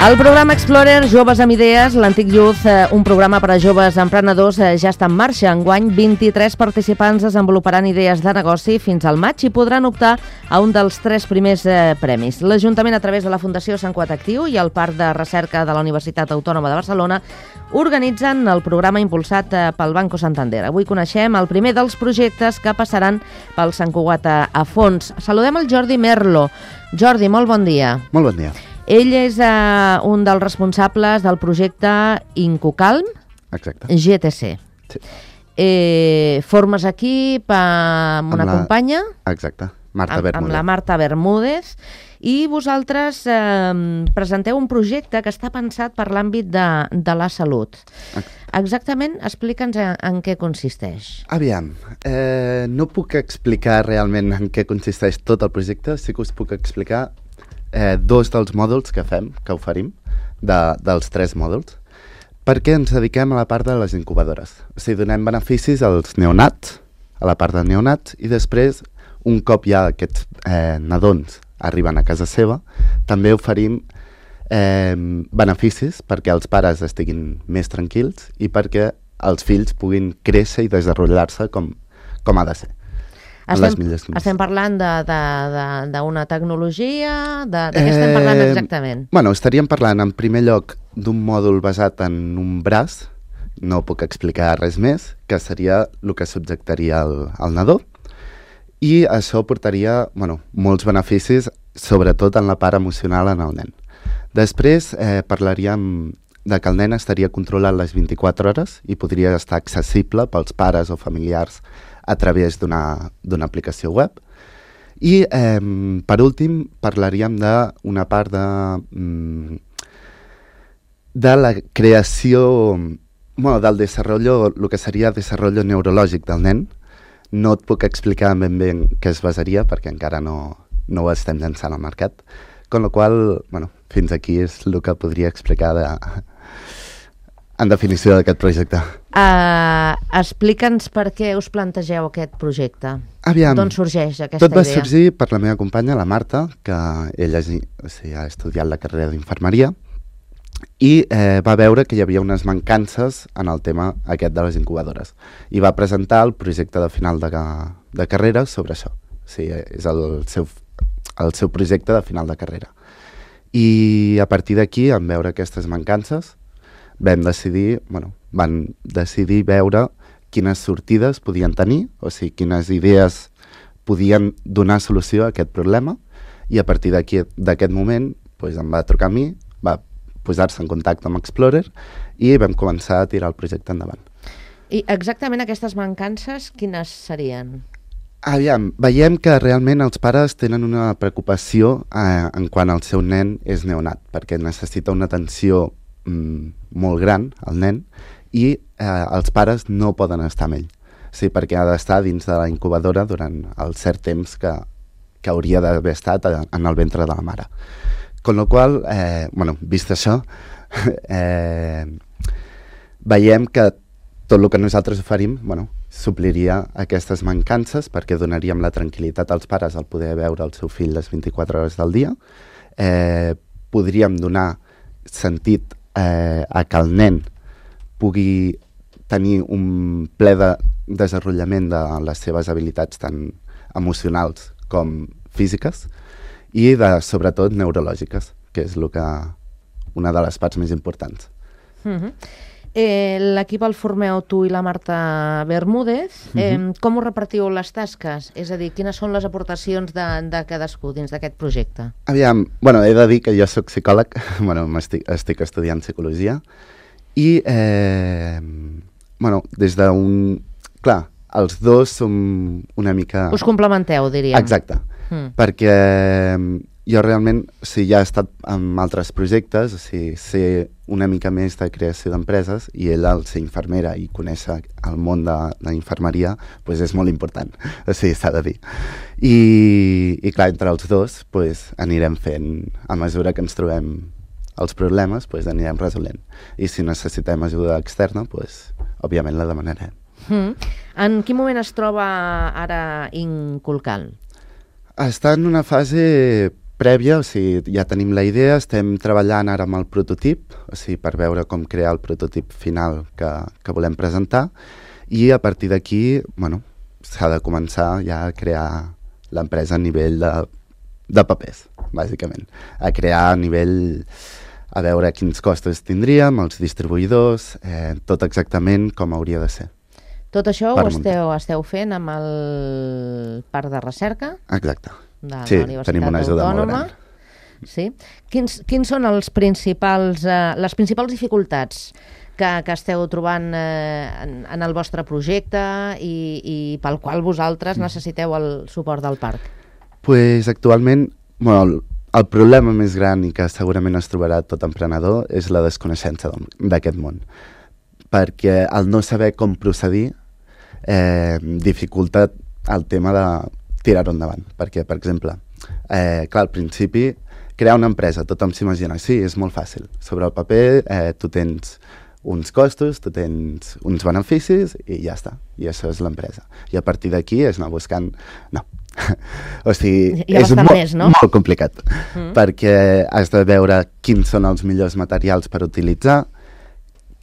El programa Explorer Joves amb Idees, l'antic Youth, un programa per a joves emprenedors, ja està en marxa. Enguany, 23 participants desenvoluparan idees de negoci fins al maig i podran optar a un dels 3 primers premis. L'Ajuntament, a través de la Fundació Sant Cugat Actiu i el Parc de Recerca de la Universitat Autònoma de Barcelona, organitzen el programa impulsat pel Banco Santander. Avui coneixem el primer dels projectes que passaran pel Sant Cugat a fons. Saludem el Jordi Merlo. Jordi, molt bon dia. Molt bon dia. Ell és un dels responsables del projecte Incocalm. Exacte. GTC. Sí. Formes equip amb una companya. Exacte, Marta Bermúdez. Amb la Marta Bermúdez. I vosaltres presenteu un projecte que està pensat per l'àmbit de la salut. Exactament, explica'ns en què consisteix. Aviam, no puc explicar realment en què consisteix tot el projecte, sí que us puc explicar 2 dels mòduls que oferim, dels 3 mòduls, perquè ens dediquem a la part de les incubadores. O sigui, donem beneficis als neonats, a la part de neonats, i després, un cop ja aquests nadons arriben a casa seva, també oferim beneficis perquè els pares estiguin més tranquils i perquè els fills puguin créixer i desenvolupar-se com ha de ser. Estem parlant d'una tecnologia? De què estem parlant exactament? Bueno, estaríem parlant en primer lloc d'un mòdul basat en un braç, no puc explicar res més, que seria el que subjectaria el nadó, i això portaria molts beneficis, sobretot en la part emocional en el nen. Després parlaríem de que el nen estaria controlat les 24 hores i podria estar accessible pels pares o familiars a través d'una aplicació web. I, per últim, parlaríem d'una part de la creació, del desenvolupament, el que seria desenvolupament neurològic del nen. No et puc explicar ben bé en què es basaria, perquè encara no ho estem llançant al mercat, con la qual fins aquí és el que podria explicar en definició d'aquest projecte. Explica'ns per què us plantegeu aquest projecte. Aviam, d'on sorgeix aquesta idea? Tot va sorgir per la meva companya, la Marta, que ella ha estudiat la carrera d'infermeria i va veure que hi havia unes mancances en el tema aquest de les incubadores. I va presentar el projecte de final de carrera sobre això. O sigui, és el seu projecte de final de carrera. I a partir d'aquí, en veure aquestes mancances, van decidir veure quines sortides podien tenir, o sigui, quines idees podien donar solució a aquest problema, i a partir d'aquest moment em va trucar a mi, va posar-se en contacte amb Explorer i vam començar a tirar el projecte endavant. I exactament aquestes mancances, quines serien? Aviam, veiem que realment els pares tenen una preocupació en quan el seu nen és neonat, perquè necessita una atenció molt gran, el nen, i els pares no poden estar amb ell. Sí, perquè ha d'estar dins de la incubadora durant el cert temps que hauria d'haver estat en el ventre de la mare. Con la qual, vist això, veiem que tot el que nosaltres oferim supliria aquestes mancances, perquè donaríem la tranquil·litat als pares al poder veure el seu fill les 24 hores del dia. Podríem donar sentit a que el nen pugui tenir un ple de desenvolupament de les seves habilitats tant emocionals com físiques i sobretot neurològiques, que és una de les parts més importants. L'equip el formeu tu i la Marta Bermúdez. Com us repartiu les tasques? És a dir, quines són les aportacions de cadascú dins d'aquest projecte? Aviam, he de dir que jo soc psicòleg, estic estudiant psicologia, i des d'un... Clar, els dos som una mica... Us complementeu, diríem. Exacte, perquè jo realment ja he estat en altres projectes, sé una mica més de creació d'empreses, i ella, al ser infermera i conèixer el món de la infermeria, és molt important, s'ha de dir. I clar, entre els dos anirem fent, a mesura que ens trobem els problemes, anirem resolent. I si necessitem ajuda externa, òbviament la demanarem. En quin moment es troba ara Incocalm? Està en una fase prèvia, o sigui, ja tenim la idea, estem treballant ara amb el prototip, o sigui, per veure com crear el prototip final que volem presentar, i a partir d'aquí, bueno, s'ha de començar ja a crear l'empresa a nivell de papers, bàsicament. A crear a nivell, a veure quins costos tindríem, els distribuïdors, tot exactament com hauria de ser. Tot això ho esteu fent amb el Parc de Recerca? Exacte. De la sí, Universitat tenim una ajuda Autònoma. molt gran. Sí. Quins són les principals dificultats que esteu trobant en el vostre projecte i pel qual vosaltres necessiteu el suport del parc? Pues actualment, bueno, el problema més gran i que segurament es trobarà tot emprenedor és la desconeixença d'aquest món. Perquè el no saber com procedir dificulta el tema de tirar-ho endavant. Perquè, per exemple, clar, al principi, crear una empresa, tothom s'imagina, sí, és molt fàcil. Sobre el paper, tu tens uns costos, tu tens uns beneficis i ja està. I això és l'empresa. I a partir d'aquí és anar buscant... No. O sigui, és molt complicat. Perquè has de veure quins són els millors materials per utilitzar,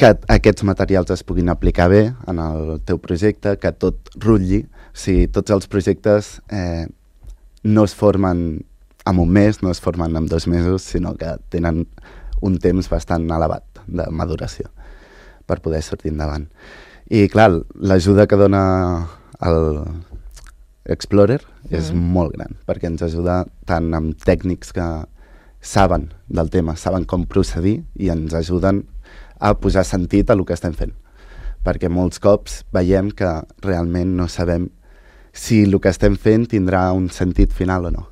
que aquests materials es puguin aplicar bé en el teu projecte, que tot rutlli. O sigui, tots els projectes no es formen en un mes, no es formen en 2 mesos, sinó que tenen un temps bastant elevat de maduració per poder sortir endavant. I clar, l'ajuda que dona el Explorer és molt gran, perquè ens ajuda tant amb tècnics que saben del tema, saben com procedir i ens ajuden a posar sentit a el que estem fent. Perquè molts cops veiem que realment no sabem si el que estem fent tindrà un sentit final o no.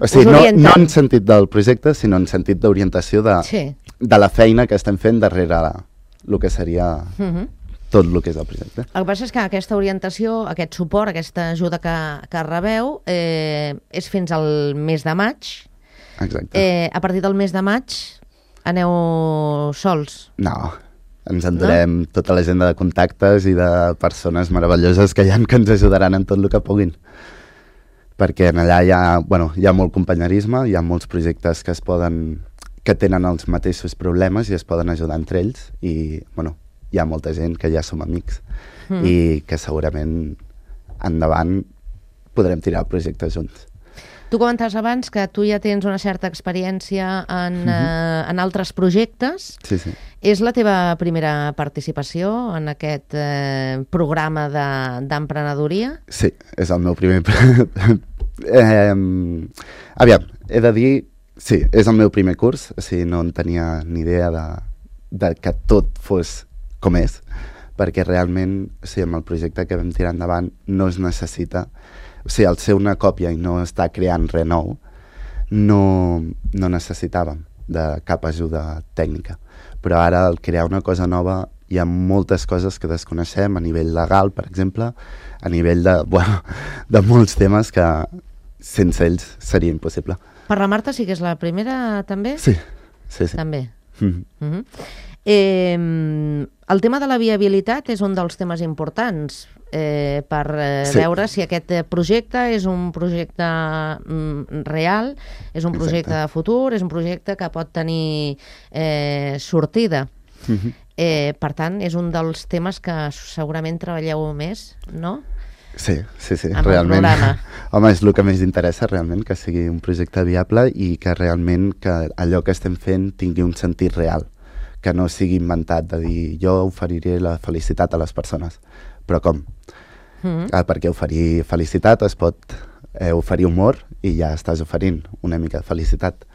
O sigui, no en sentit del projecte, sinó en sentit d'orientació de la feina que estem fent darrere el que seria tot el que és el projecte. El que passa és que aquesta orientació, aquest suport, aquesta ajuda que rebeu és fins al mes de maig. Exacte. A partir del mes de maig aneu sols? No, ens endurem tota l'agenda de contactes i de persones meravelloses que hi ha que ens ajudaran en tot el que puguin. Perquè allà hi ha molt companyerisme, hi ha molts projectes que tenen els mateixos problemes i es poden ajudar entre ells i hi ha molta gent que ja som amics i que segurament endavant podrem tirar el projecte junts. Tu comentaves abans que tu ja tens una certa experiència en altres projectes. Sí, sí. És la teva primera participació en aquest programa d'emprenedoria? Sí, és el meu primer... Aviam, he de dir... Sí, és el meu primer curs, o sigui, no en tenia ni idea de que tot fos com és, perquè realment, o sigui, amb el projecte que vam tirar endavant no es necessita... O sigui, al ser una còpia i no estar creant res nou, no necessitàvem de cap ajuda tècnica. Però ara, al crear una cosa nova, hi ha moltes coses que desconeixem a nivell legal, per exemple, a nivell de molts temes que sense ells seria impossible. Per la Marta sí que és la primera, també? Sí. També. El tema de la viabilitat és un dels temes importants per veure si aquest projecte és un projecte real, és un projecte de futur, és un projecte que pot tenir sortida. Per tant, és un dels temes que segurament treballeu més, no? Sí, realment. Home, és el que més interessa, realment, que sigui un projecte viable i que realment que allò que estem fent tingui un sentit real, que no sigui inventat de dir jo oferiré la felicitat a les persones. Però com? Perquè oferir felicitat es pot oferir humor i ja estàs oferint una mica de felicitat.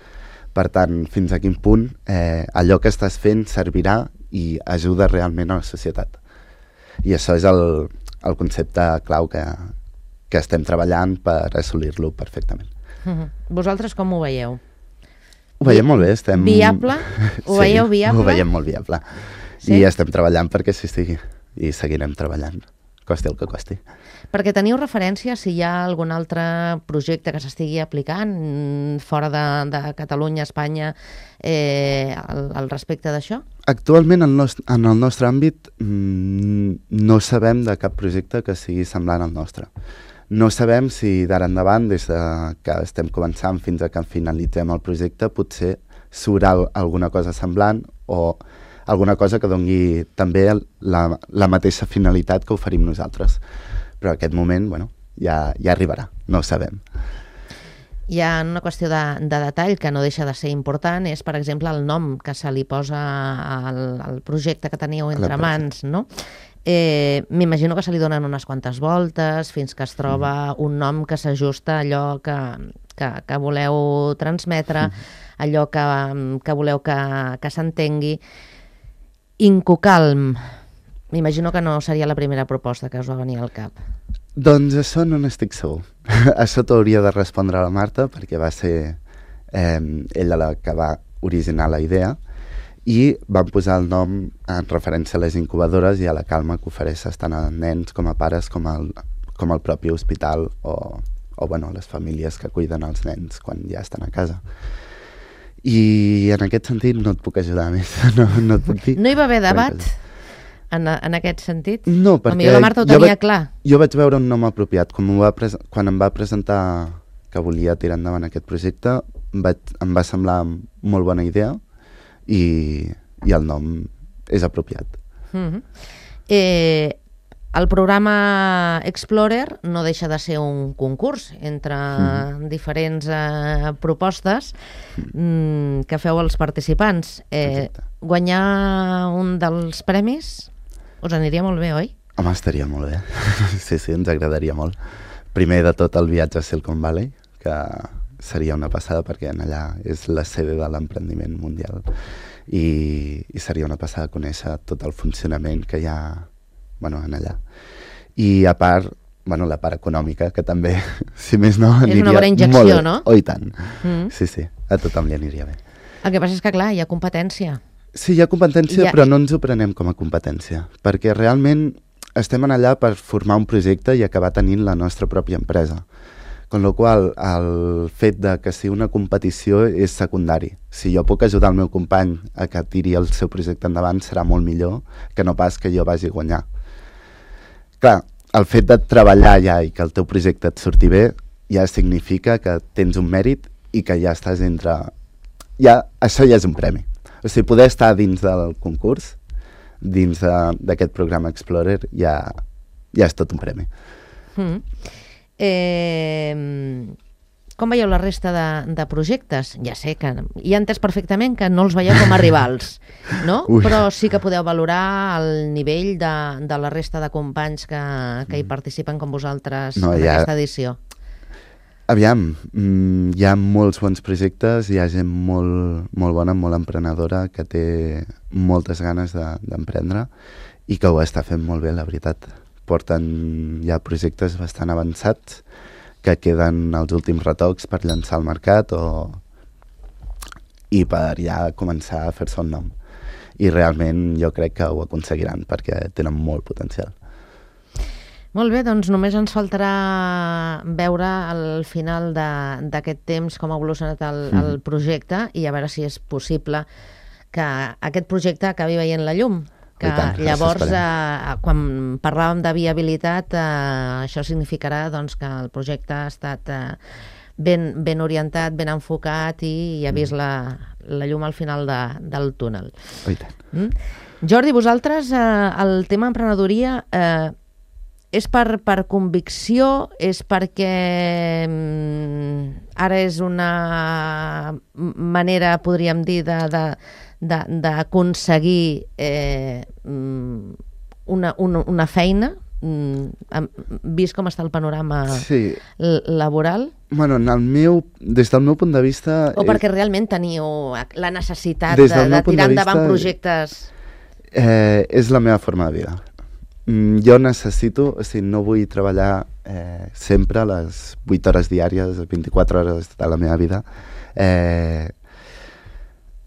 Per tant, fins a quin punt allò que estàs fent servirà i ajuda realment a la societat. I això és el concepte clau que estem treballant per assolir-lo perfectament. Vosaltres com ho veieu? Ho veiem molt bé. Estem... Viable? Ho veieu viable? Ho veiem molt viable. Sí? I estem treballant perquè sí estigui. I seguirem treballant, costi el que costi. Perquè teniu referència si hi ha algun altre projecte que s'estigui aplicant fora de Catalunya, Espanya, al respecte d'això? Actualment, en el nostre àmbit, no sabem de cap projecte que sigui semblant al nostre. No sabem si d'ara endavant, des de que estem començant fins a que finalitzem el projecte, potser surt alguna cosa semblant o alguna cosa que doni també la mateixa finalitat que oferim nosaltres. Però en aquest moment, bueno, ja arribarà, no ho sabem. Hi ha una qüestió de detall que no deixa de ser important, és, per exemple, el nom que se li posa al projecte que teníeu entre mans, no? M'imagino que se li donen unes quantes voltes fins que es troba un nom que s'ajusta a allò que voleu transmetre, allò que voleu que s'entengui. Incucalm. M'imagino que no seria la primera proposta que us va venir al cap. Doncs això no n'estic segur. Això t'hauria de respondre a la Marta, perquè va ser ella la que va originar la idea, i van posar el nom en referència a les incubadores i a la calma que ofereix tant a nens com a pares com al propi hospital o bueno, les famílies que cuiden els nens quan ja estan a casa. I en aquest sentit no et puc ajudar més. No et puc dir. No hi va haver debat en aquest sentit? No, perquè potser la Marta ho tenia clar. Jo vaig veure un nom apropiat. Quan em va presentar que volia tirar endavant aquest projecte, em va semblar molt bona idea i el nom és apropiat. El programa Explorer no deixa de ser un concurs entre diferents propostes que feu als participants. Guanyar un dels premis us aniria molt bé, oi? Home, estaria molt bé. Sí, ens agradaria molt. Primer de tot el viatge a Silicon Valley, que seria una passada perquè allà és la sede de l'emprendiment mundial i seria una passada conèixer tot el funcionament que hi ha en allà. I a part, la part econòmica, que també, si més no, aniria molt bé. És una bona injecció, no? Oh, i tant. Sí, a tothom li aniria bé. El que passa és que, clar, hi ha competència. Sí, hi ha competència, però no ens ho prenem com a competència, perquè realment estem allà per formar un projecte i acabar tenint la nostra pròpia empresa. Con la qual el fet de que sigui una competició és secundari. Si jo puc ajudar el meu company a que tiri el seu projecte endavant, serà molt millor que no pas que jo vagi a guanyar. Clar, el fet de treballar allà i que el teu projecte et surti bé ja significa que tens un mèrit i que ja estàs entre... Això ja és un premi. O sigui, poder estar dins del concurs, dins d'aquest programa Explorer, ja és tot un premi. Com veieu la resta de projectes? Ja sé que hi ha entès perfectament que no els veieu com a rivals, no? Però sí que podeu valorar el nivell de la resta de companys que hi participen com vosaltres en aquesta edició. Aviam, hi ha molts bons projectes, hi ha gent molt bona, molt emprenedora, que té moltes ganes d'emprendre i que ho està fent molt bé, la veritat. Porten ja projectes bastant avançats que queden els últims retocs per llançar al mercat i per ja començar a fer-se un nom. I realment jo crec que ho aconseguiran perquè tenen molt potencial. Molt bé, doncs només ens faltarà veure al final d'aquest temps com ha evolucionat el projecte i a veure si és possible que aquest projecte acabi veient la llum. Que llavors, quan parlàvem de viabilitat, això significarà que el projecte ha estat ben orientat, ben enfocat i ha vist la llum al final del túnel. Jordi, vosaltres, el tema emprenedoria és per convicció, és perquè ara és una manera, podríem dir, d'aconseguir una feina, vist com està el panorama laboral? Bueno, des del meu punt de vista... O perquè realment teniu la necessitat de tirar endavant projectes... És la meva forma de vida. Jo necessito, o sigui, no vull treballar sempre les 8 hores diàries, 24 hores de la meva vida en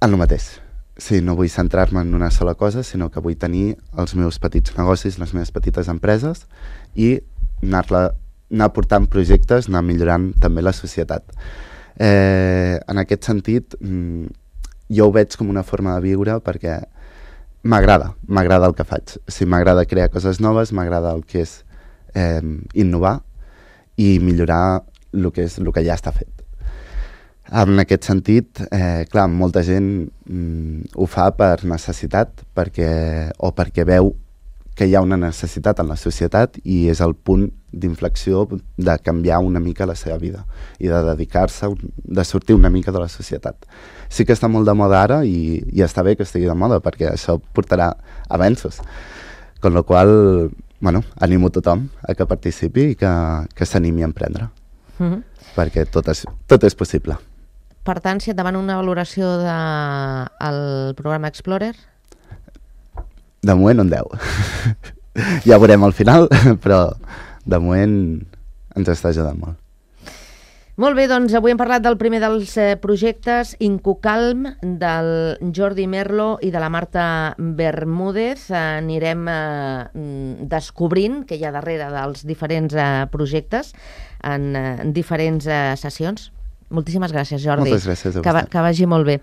el mateix. Sí, no vull centrar-me en una sola cosa, sinó que vull tenir els meus petits negocis, les meves petites empreses i anar portant projectes, anar millorant també la societat. En aquest sentit, jo ho veig com una forma de viure perquè m'agrada el que faig. O sigui, m'agrada crear coses noves, m'agrada el que és innovar i millorar el que ja està fet. En aquest sentit, clar, molta gent ho fa per necessitat o perquè veu que hi ha una necessitat en la societat i és el punt d'inflexió de canviar una mica la seva vida i de dedicar-se, de sortir una mica de la societat. Sí que està molt de moda ara i està bé que estigui de moda perquè això portarà avenços. Con la qual, bueno, animo tothom a que participi i que s'animi a emprendre. Perquè tot és possible. Per tant, si et demanen una valoració del programa Explorer? De moment un 10. Ja veurem al final, però de moment ens està ajudant molt. Molt bé, doncs avui hem parlat del primer dels projectes, Incucalm, del Jordi Merlo i de la Marta Bermúdez. Anirem descobrint què hi ha darrere dels diferents projectes en diferents sessions. Moltíssimes gràcies, Jordi. Moltes gràcies a vostè. Que vagi molt bé.